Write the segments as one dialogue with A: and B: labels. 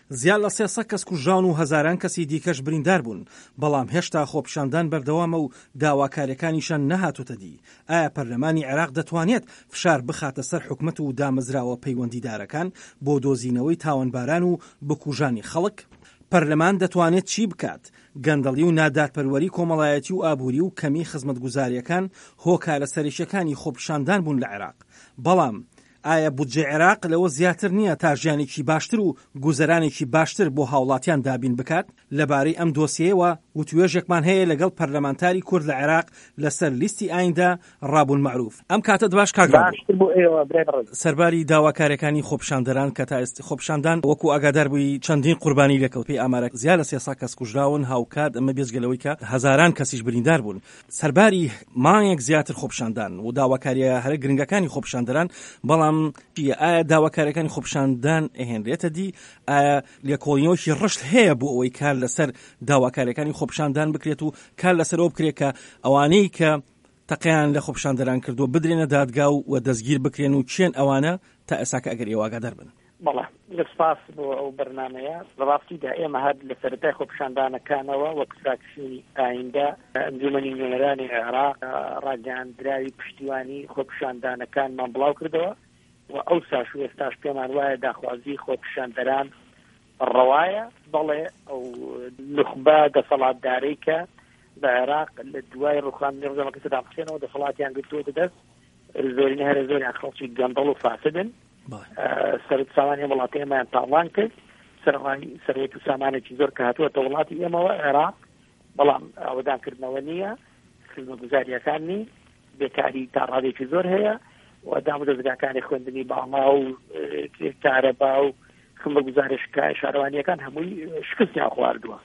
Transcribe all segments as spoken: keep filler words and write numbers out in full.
A: زیاد لە سێ سەد کەس کوژراون و هەزاران کەسی دیکەش بریندار بوون، بەڵام هێشتا خۆپیشاندان بەردەوامە و داواکارییەکانیشان نەهاتۆتە دی. ئایا پەرلەمانی عێراق دەتوانێت فشار بخاتە سەر حکومەت و دامەزراوە پەیوەندیدارەکان بۆ دۆزینەوەی تاوانباران و بکوژانی خەڵک؟ پەرلەمان دەتوانێت چی بکات؟ گەندەڵی و نادادپەروەری کۆمەڵایەتی و ئابووری و کەمی خزمەتگوزارییەکان هۆکارە سەرەکییەکانی خۆپیشاندان بوون لە عێراق، بەڵام ئایا بودجەی عێراق لەوە زیاتر نییە تا ژیانێکی باشتر و گوزەرانێکی باشتر بۆ هاوڵاتیان دابین بکات؟ لەبارەی ئەم دۆسیەیەوە وتوێژێکمان هەیە لەگەڵ پەرلەمانتاری کورد لە عێراق لەسەر لیستی ئایندە ڕابون مەعروف. ئەم کاتەت باش کاک ڕابون.
B: باشتر بۆ ئێوە برای بەڕێز.
A: سەرباری داواکاریەکانی خۆپیشاندەران کە تا ئێستا خۆپیشاندان وەکو ئاگادار بووی چەندین قوربانی لێکەوت، پێی ئامارە زیاد لە سێ سەد کەس کوژراون، هاوکات ئەمە بێجگە لەوەی کە هەزاران کەسیش بریندار بوون. سەرباری مانگێک زیاتر خۆپیشاندان و داواکاریە هەرە گرنگەکانی خۆپیشاندەران، بەڵام ئایا داواکاریەکانی خۆپیشاندان ئەهێنرێتە دی؟ ئایا لێکۆڵینەوەکی ڕشت هەیە بۆ ئەوەی کار لەسەر داواکاریەکانی خۆپیشاندان بکرێت و کار لەسەر ئەوە بکرێت کە ئەوانەی کە تەقیان لە خۆپیشاندەران کردووە بدرێنە دادگا و دەستگیر بکرێن و چێن ئەوانە تا ئێساکە ئەگەر ئێوە ئاگادار بن؟
B: بەڵێ، سپاس بۆ ئەو بەرنمەیە. لە ڕاستیدا ئێمە هەر لە سەرەتای خۆپیشاندانەکانەوە وەک فراکسیۆنی ئایندە ئەنجومەنی نوێنەرانی عێراق ڕاگەیاندراوی پشتیوانی خۆپیشاندانەکانمان بڵاو کردەوە و ئەو ساش و ئێستاش پێمان وایە داخوازی خۆپیشاندەران ڕەوایە. بەڵێ ئەو نوخبە دەسەڵاتدارەی کە لە عێراق لە دوای ڕوخاندنی ڕژێمەکەی سەدام حوسێنەوە دەسەڵاتیان گرتووەتە دەست، زۆرینە هەرە زۆریان خەڵکی گەندەڵ و فاسدن. سەرەت سامانی ئەم وڵاتی ئێمەیان تاڵان کرد، سەرەڕای سەروەت و سامانێکی زۆر کە هاتووەتە وڵاتی ئێمەوە عێراق، بەڵام ئاوەدانکردنەوە نییە، خزمەتگوزاریەکان نین، بێکاری تا ڕادێکی زۆر هەیە و دامودەزگاکانی خوێندنی باڵا و کارەبا و خزمەتگوزاری شارەوانیەکان هەمووی شکستیان خواردووە.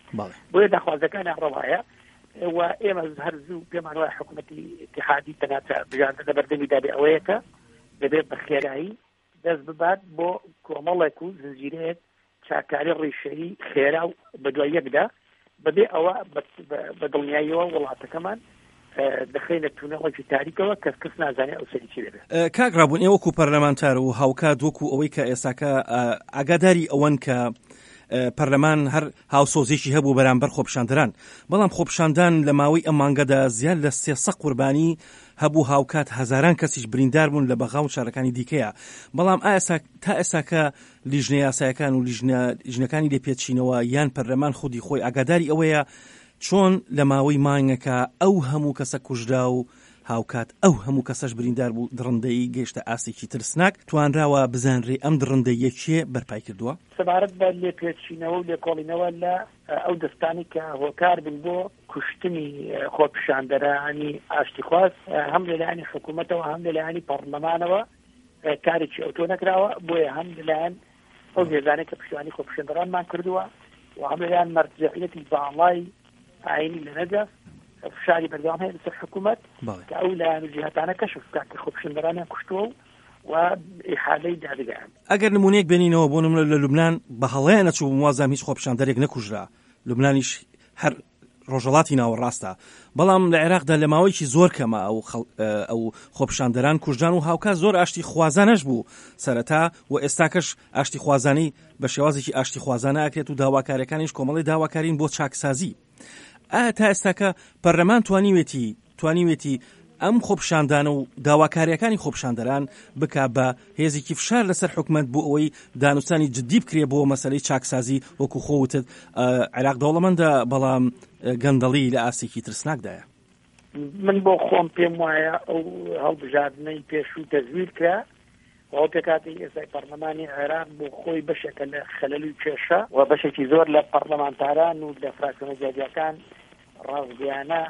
B: بۆیە داخوازەکانیان ڕەوایە و ئێمە هەر زوو پێمان وایە حکوومەتی ئیتیحادی تەنها بژاردە لە بەردەمیدا بێ ئەوەیە کە دەبێت بە خێرایی دەست ببات بۆ کۆمەڵێک و زنجیرەیەک چاکاری ڕیشەیی خێرا و بەدوای یەکدا، بەبێ ئەوە بە دڵنیاییەوە وڵاتەکەمان دەخەینە تونێڵێکی تاریکەوە کەس کەس نازانێت ئەو سەری چی دەبێت.
A: کاک ڕابوون، ئێوە وەکو پەرلەمانتار و هاوکات وەکو ئەوەی کە ئێستاکە ئاگاداری ئەوەن کە پەرلەمان هەر هاوسۆزێکی هەبوو بەرامبەر خۆپیشاندەران، بەڵام خۆپیشاندان لە ماوەی ئەم مانگەدا زیاد لە سێ سەد قوربانی هەبوو، هاوکات هەزاران کەسیش بریندار بوون لە بەغا و شارەکانی دیکەیە. بەڵام ئایا تا ئێستاکە لیژنە یاسایەکان و لیژنەکانی لێپێچینەوە یان پەرلەمان خودی خۆی ئاگاداری ئەوەیە چۆن لە ماوەی مانگەکە ئەو هەموو کەسە کوژرا و هاوکات ئەو هەموو کەسەش بریندار بوو، دڕندەیی گەیشتە ئاستێکی ترسناک، توانراوە بزانرێ ئەم دڕندەییە کێ بەرپای کردووە؟
B: سەبارەت بە لێپێچینەوە و لێکۆڵینەوە لە ئەو دەستانی کە هۆکار بن بۆ کوشتنی خۆپیشاندەرانی ئاشتیخواز، هەم لەلایەنی حکوومەتەوە هەم لەلایەنی پەرلەمانەوە کارێکی ئەوتۆ نەکراوە. بۆیە هەم لەلایەن ئەو هێزانەی کە پشتیوانی خۆپیشاندەرانمان کردووە و هەم لەلایەن مەرجەعیەتی باڵای ئاینی لە نەجەف فشاری بەردەوام هەیە لەسەر حکوومەت کە ئەو لایەن و جیهاتانە کەشف بکات کە خۆپیشاندەرانیان کوشتووە و ئیحالەی دادگایان.
A: ئەگەر نمونەیەک بێنینەوە بۆ نمونە لە لوبناان بە هەڵەیە نەچوو بووم، وازام هیچ خۆپیشاندەرێک نەکوژرا، لوبنانیش هەر ڕۆژهەڵاتی ناوەڕاستە، بەڵام لە عێراقدا لە ماوەیەکی زۆر کەمە ئەو ئەو خۆپیشاندەران کوژران و هاوکات زۆر ئاشتی خوازانەش بوو سەرەتا و ئێستاکەش ئاشتی خوازانی بە شێوازێکی ئاشتی خوازانە ئەکرێت و داواکاریەکانیش کۆمەڵی داواکارین بۆ چاکسازی. ئایا تا ئێستاکە پەرلەمان توانیوێتی توانیوێتی ئەم خۆپیشاندانە و داواکاریەکانی خۆپیشاندەران بکا بە هێزێکی فشار لەسەر حکومەت بۆ ئەوەی دانوستانی جدی بکرێ بۆ مەسەلەی چاکسازی؟ وەکو خۆوتت عێراق دەوڵەمەندە بەڵام گەندەڵی لە ئاستێکی ترسناکدایە.
B: من بۆ خۆم پێم وایە ئەو هەڵبژاردنەی پێشوو تەزویر کرا و ئەو پێکهاتەی ئێستای پەرلەمانی عێراق بۆ خۆی بەشێکە لە خەلەل و کێشە و بەشێکی زۆر لە پەرلەمانتاران و لە فراکسیۆنە جیاجیاکان ڕاستگۆیانە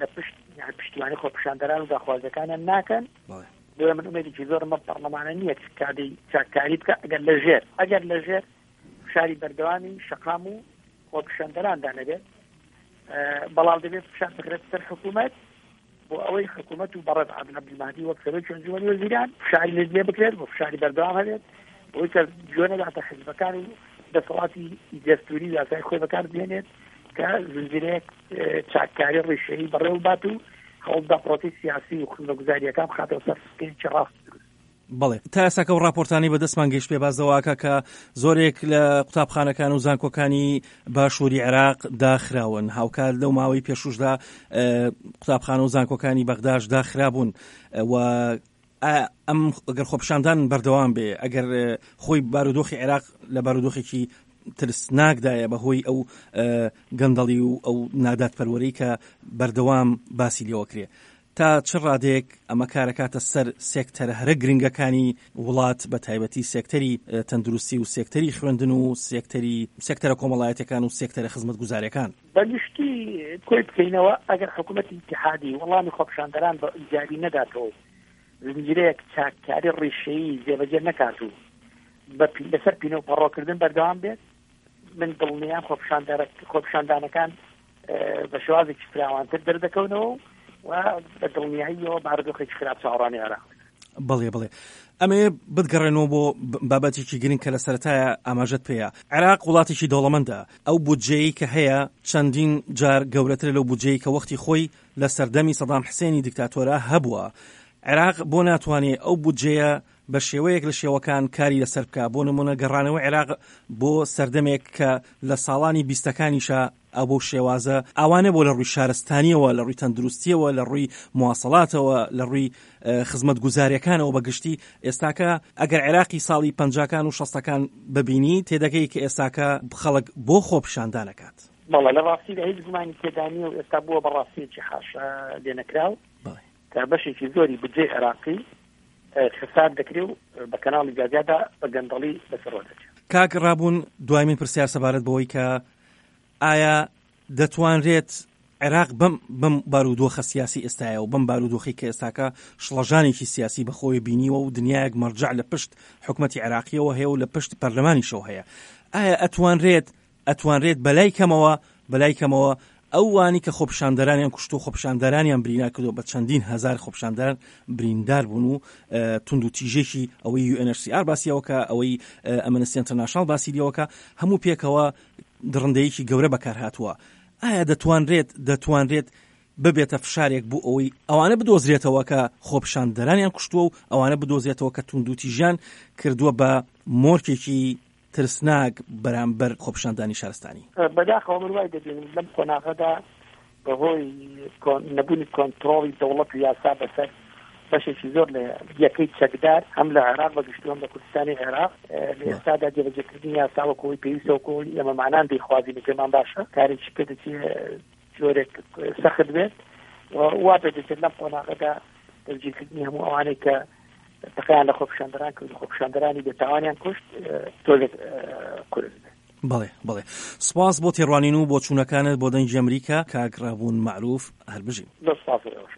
B: لە پشت پشتیوانی خۆپیشاندەران و داخوازەکانیان ناکەن. بۆیە من ئومێدێکی زۆرم بەم پەرلەمانە نییە کە کادەی چاککاری بکە ئەگەر لەژێر ئەگەر لەژێر فشاری بەردەوامی شەقام و خۆپیشاندەراندا نەبێت. بەڵام دەبێت فشار بخرێت سەر حکوومەت بۆ ئەوەی حکوومەت و بەڕێز عادل عەبدولمەهدی وەک سەرۆکی ئەنجومەنی وەزیران فشاری لێ بکرێت و فشاری بەردەوام هەبێت بۆی کە گوێ نەداتە حیزبەکان و دەسەڵاتی دەستوری و یاسای خۆی بەکار بهێنێت کە زنجیرەیەک چاککاری ڕیشەیی بەڕێوە بات و هەوڵدا پرۆسەی سیاسی و خزمەتگوزاریەکان بخاتەوە سەر سکەیەکی ڕاست دروست.
A: بەڵێ، تا ئێستاکە ئەو ڕاپۆرتانەی بەدەستمان گەیشت پێ باس لەوە کە زۆرێک لە قوتابخانەکان و زانکۆکانی باشووری عێراق داخراون، هاوکات لەو ماوەی پێشوشدا قوتابخانە و زانکۆکانی بەغداش داخرابوون و ئەم ئەگەر خۆپیشاندان بەردەوام بێ، ئەگەر خۆی بارودۆخی عێراق لە بارودۆخێکی ترسناکدایە بەهۆی ئەو گەندەڵی و ئەو نادادپەروەری کە بەردەوام باسی لێوەکرێ، تا چ ڕادەیەک ئەمە کارەکاتە سەر سێکتەرە هەرە گرنگەکانی وڵات، بە تایبەتی سێکتەری تەندروستی و سێکتەری خوێندن و سێکتەری سێکتەرە کۆمەڵایەتەکان و سێکتەرە خزمەتگوزاریەکان؟
B: بەگشتی کۆی بکەینەوە، ئەگەر حکوومەتی ئیتیحادی وەڵامی خۆپیشاندەران بە ئیجابی نەداتەوە، زنجیرەیەک چاککاری ڕیشەیی جێبەجێ نەکات و لەسەر پینە و پەڕۆکردن بەردەوام بێت، من دڵنیام خۆپیشاندانەکان بە شێوازێکی فراوانتر دەردەکەونەوە و بە دڵنیاییەوە بارودۆخێکی خراپ چاوەڕوانی عێراق.
A: بەڵێ بڵێ، ئەمێ بتگەڕێنەوە بۆ بابەتێکی گرنگ کە لە سەرەتایە ئاماژەت پێیە. عێراق وڵاتێکی دەوڵەمەندە، ئەو بودجەیەی کە هەیە چەندین جار گەورەترە لەو بودجەیە کە وەختی خۆی لە سەردەمی سەدام حسێنی دیکتاتۆرە هەبووە. عێراق بۆ ناتوانێت ئەو بودجەیە بە شێوەیەک لە شێوەکان کاری لەسەر بکە؟ بۆ نمونە گەڕانەوە عێراق بۆ سەردەمێک کە لە ساڵانی بیستەکانیشە ئەو بۆ شێوازە ئەوانە بۆ لە ڕووی شارستانیەوە، لە ڕووی تەندروستیەوە، لە ڕووی مواصلاتەوە، لە ڕووی خزمەتگوزاریەکانەوە بەگشتی. ئێستاکە ئەگەر عێراقی ساڵی پەنجاکان و شەستەکان ببینی تێدەگەی کە ئێستاکە خەڵک بۆ خۆپیشاندانەکات.
B: بەڵێ، لە ڕاستیدا هیچ گومانی تێدا نییە و ئێستا بووە بە ڕاستیەکی حاشا لێنەکراو کە بەشێکی زۆری بودجەی عێراقی خسار دەکرێ و بە کەناڵی جیاجیادا بە گەندەڵی بەسەرەوە دەچێت.
A: کاک ڕابوون، دوای من پرسیار سەبارەت بەوەی کە ئایا دەتوانرێت عێراق بەم بەم بارودۆخە سیاسی ئێستایە و بەم بارودۆخی کە ئێستاکە شڵەژانێکی سیاسی بەخۆی بینیوە و دنیایەک مەرجع لە پشت حکوومەتی عێراقیەوە هەیە و لە پشت پەرلەمانیشەوە هەیە، ئایا ئەتوانرێت ئەتوانرێت بەلای کەمەوە بەلای کەمەوە ئەوانی کە خۆپیشاندەرانیان کوشت و خۆپیشاندەرانیان برینا کردو بە چەندین هزار خۆپیشاندەران بریندار بوون و تونند و تیژێکی ئەوەی U N H C R باسیەوەکە، ئەوەی ئەمنستی ئینتەرناشناڵ باسی لێوەکە، هەموو پێکەوە دڕندەیەکی گەورە بەکار هاتووە. ئایا دەتوانرێت دەتوانرێت ببێتە فشارێک بۆ ئەوەی ئەوانە بدۆزرێتەوە کە خۆپیشاندەرانیان کوشتووە و ئەوانە بدۆزرێتەوە کە توندوتیژیان کردووە بە مۆرکێکی ترسناک بەرامبەر خۆپیشاندانی شارستانی؟
B: بەداخەوە من وای دەبینم لەم قۆناغەدا بەهۆی نەبوونی کۆنترۆڵی دەوڵەت و یاسا بەسەر بەشێکی زۆر لە یەکەی چەکدار هەم لە عێراق بە گشتی هەم لە کوردستانی عێراق لە ئێستادا جێبەجێکردنی یاسا وەکو پێویستە وەکو ئێمەمانان دەیخوازین و پێمان باشە کارێکی پێ دەچێت جۆرێک سەخت بێت و وا پێ دەچێت لەم قۆناغەدا دەستگیرکردنی هەموو ئەوانەی کە تەقەیان لە خۆپیشاندەران کرد و خۆپیشاندەرانی بێتاوانیان کوشت تۆزێک قورس بێت.
A: بەڵێ بەڵێ، سپاس بۆ تێڕوانین و بۆ چوونەکانت بۆ دەنگی ئەمریکا. کاک ڕابوون مەعروف، هەر بژین.
B: زۆر سپاس بۆ ئێوەش.